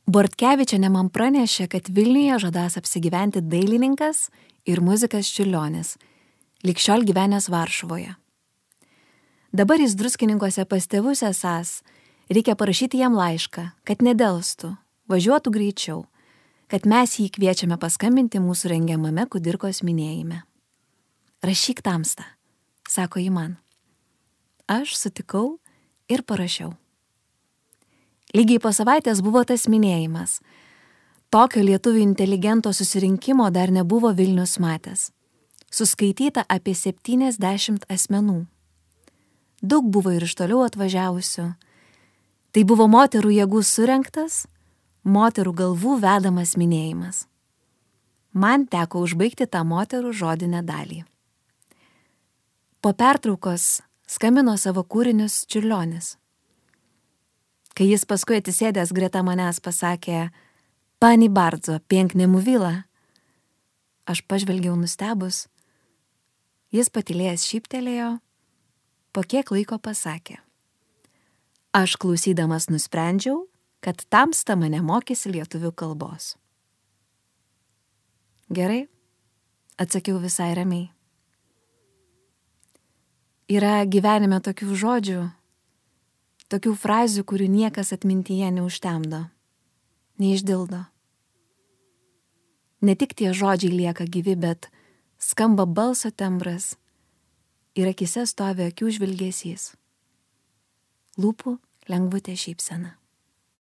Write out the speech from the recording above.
Bortkevičienė man pranešė, kad Vilniuje žadas apsigyventi dailininkas ir muzikas Čiurlionis, lig šiol gyvenęs Varšuvoje. Dabar jis Druskininkuose pas tėvus esąs, reikia parašyti jam laišką, kad nedelstų, važiuotų greičiau, kad mes jį kviečiame paskambinti mūsų rengiamame kudirkos minėjime. Rašyk Tamsta, sako ji man. Aš sutikau ir parašiau. Lygiai po savaitės buvo tas minėjimas. Tokio lietuvių inteligento susirinkimo dar nebuvo Vilnius matęs. Suskaityta apie 70 asmenų. Daug buvo ir iš toliau atvažiavusių. Tai buvo moterų jėgų surengtas, moterų galvų vedamas minėjimas. Man teko užbaigti tą moterų žodinę dalį. Po pertraukos skambino savo kūrinius Čiurlionis. Kai jis paskui atsisėdęs greta manęs pasakė, pani bardzo, pięknie mówiła, aš pažvelgiau nustebus. Jis patylėjęs šyptelėjo, po kiek laiko pasakė. Aš klausydamas nusprendžiau, kad Tamsta mane mokysi lietuvių kalbos. Gerai, atsakiau visai ramiai. Yra gyvenime tokių žodžių, tokių frazių, kurių niekas atmintyje neužtemdo, neišdildo. Ne tik tie žodžiai lieka gyvi, bet skamba balso tembras ir akise stovi akių žvilgesys. Lūpų lengvutė šypsena.